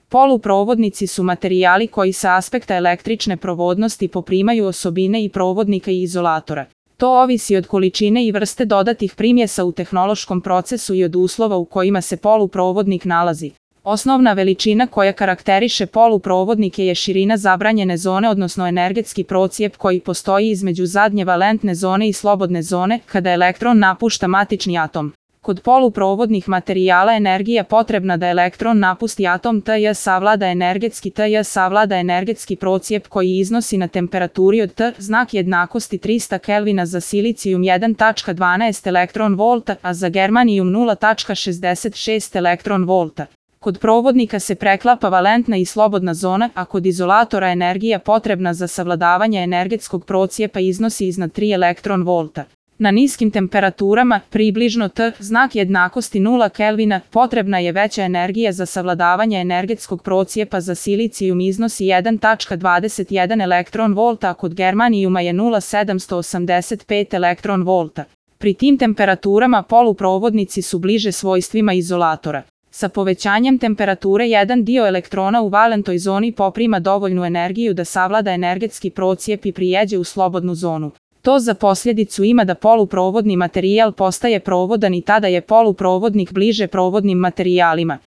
Poluprovodnici su materijali koji sa aspekta električne provodnosti poprimaju osobine i provodnika i izolatora. To ovisi od količine i vrste dodatih primjesa u tehnološkom procesu i od uslova u kojima se poluprovodnik nalazi. Osnovna veličina koja karakteriše poluprovodnike je širina zabranjene zone, odnosno energetski procijep koji postoji između zadnje valentne zone i slobodne zone kada elektron napušta matični atom. Kod poluprovodnih materijala energija potrebna da elektron napusti atom T savlada energetski procijep koji iznosi na temperaturi od T znak jednakosti 300 Kelvina za silicijum 1,12 elektron volta, a za germanijum 0,66 elektron volta. Kod provodnika se preklapa valentna i slobodna zona, a kod izolatora energija potrebna za savladavanje energetskog procijepa iznosi iznad 3 elektron volta. Na niskim temperaturama, približno T znak jednakosti 0 Kelvina, potrebna je veća energija za savladavanje energetskog procijepa za silicijum iznosi 1,21 elektron volta, a kod germanijuma je 0,785 elektron volta. Pri tim temperaturama poluprovodnici su bliže svojstvima izolatora. Sa povećanjem temperature jedan dio elektrona u valentoj zoni poprima dovoljnu energiju da savlada energetski procijep i prijeđe u slobodnu zonu. To za posljedicu ima da poluprovodni materijal postaje provodan i tada je poluprovodnik bliže provodnim materijalima.